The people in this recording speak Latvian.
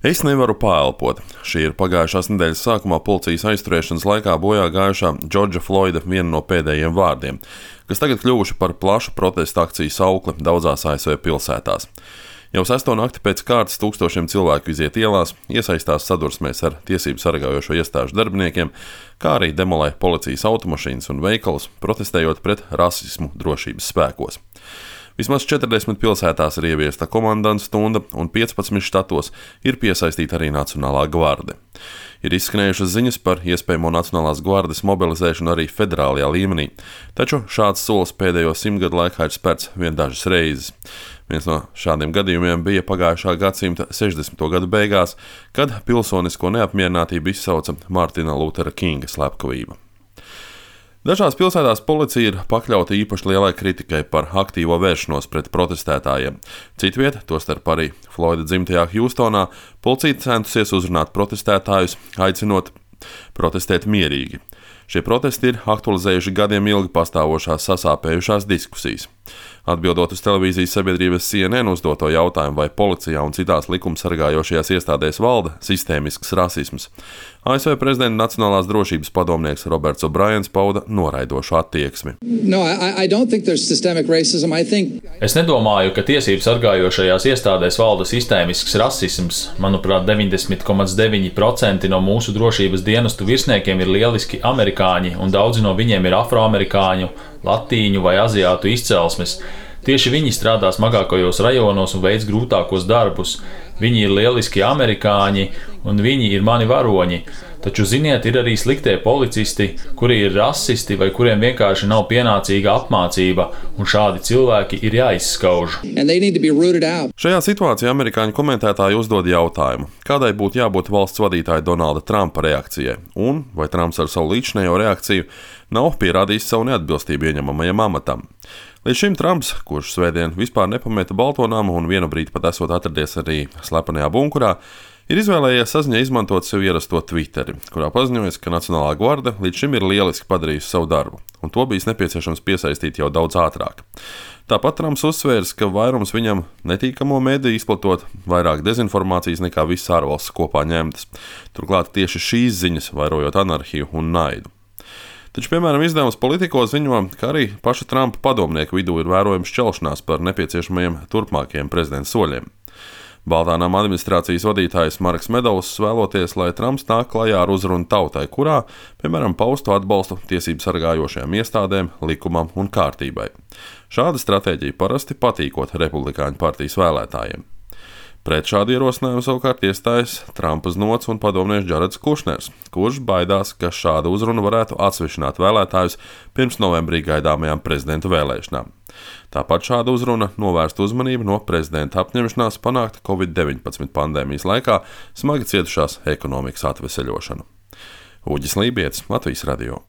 Es nevaru paelpot. Šī ir pagājušās nedēļas sākumā policijas aizturēšanas laikā bojā gājušā Džordža Floida viena no pēdējiem vārdiem, kas tagad kļuvuši par plašu protesta akciju saukli daudzās ASV pilsētās. Jau 6. nakti pēc kārtas tūkstošiem cilvēku iziet ielās, iesaistās sadursmēs ar tiesību sargājošo iestāžu darbiniekiem, kā arī demolē policijas automašīnas un veikalus, protestējot pret rasismu drošības spēkos. Vismaz 40 pilsētās ir ieviesta komandanta stunda, un 15 štatos ir piesaistīta arī Nacionālā gvarde. Ir izskanējušas ziņas par iespējamo Nacionālās gvardes mobilizēšanu arī federālajā līmenī, taču šāds solis pēdējo 100 gadu laikā ir spērts vien dažas reizes. Viens no šādiem gadījumiem bija pagājušā gadsimta 60. gadu beigās, kad pilsonisko neapmierinātību izsauca Mārtina Lutera Kinga slepkavība. Dažās pilsētās policija ir pakļauta īpaši lielai kritikai par aktīvo vēršanos pret protestētājiem. Citviet, tostarp arī Floida dzimtajā Hjūstonā, policija centusies uzrunāt protestētājus, aicinot protestēt mierīgi. Šie protesti ir aktualizējuši gadiem ilgi pastāvošās sasāpējušās diskusijas. Atbildot uz televīzijas sabiedrības CNN uzdoto jautājumu, vai policijā un citās likumsargājošajās iestādēs valda sistēmisks rasisms, ASV prezidenta Nacionālās drošības padomnieks Roberts O'Briens pauda noraidošu attieksmi. Es nedomāju, ka tiesību sargājošajās iestādēs valda sistēmisks rasisms. Manuprāt, 90,9% no mūsu drošības dienestu virsniekiem ir lieliski amerikāņi, un daudzi no viņiem ir afroamerikāņu, latīņu vai aziātu izcelsmes. Tieši viņi strādā smagākajos rajonos un veic grūtākos darbus. Viņi ir lieliski amerikāņi, un viņi ir mani varoņi. Taču, ziniet, ir arī sliktie policisti, kuri ir rasisti vai kuriem vienkārši nav pienācīga apmācība, un šādi cilvēki ir jāizskauž. Šajā situācijā amerikāņu komentētāji uzdod jautājumu, kādai būtu jābūt valsts vadītāja Donalda Trumpa reakcijai, un vai Trumps ar savu līdzinējo reakciju nav pierādījis savu neatbilstību ieņemamajam amatam. Līdz šim Trumps, kurš svētdien vispār nepameta Balto namu un vienu brīdi pat esot atradies arī slepenajā bunkurā, ir izvēlējies saziņai izmantot sev ierasto Twitteri, kurā paziņojas, ka Nacionālā gvarde līdz šim ir lieliski padarījusi savu darbu, un to bijis nepieciešams piesaistīt jau daudz ātrāk. Tāpat Trumps uzsvērs, ka vairums viņam netīkamo mediju izplatot vairāk dezinformācijas nekā visas ārvalstis kopā ņemtas. Turklāt tieši šīs ziņas vairojot anarhiju un naidu. Taču, piemēram, izdevums Politico ziņo, ka arī paša Trumpa padomnieku vidū ir vērojama šķelšanās par nepieciešamajiem turpmākajiem prezidenta soļiem. Baltā nama administrācijas vadītājs Marks Medovs vēloties, lai Trumps nāk klajā ar uzrunu tautai, kurā, piemēram, paustu atbalstu tiesību sargājošajām iestādēm, likumam un kārtībai. Šāda stratēģija parasti patīkot Republikāņu partijas vēlētājiem. Pret šādu ierosinājumu savukārt iestājas Trumpa znots un padomnieks Džareds Kušners, kurš baidās, ka šāda uzruna varētu atsvešināt vēlētājus pirms novembrī gaidāmajām prezidenta vēlēšanām. Tāpat šāda uzruna novērst uzmanību no prezidenta apņemšanās panākt Covid-19 pandēmijas laikā smagi cietušās ekonomikas atveseļošanu. Uģis Lībietis, Latvijas radio.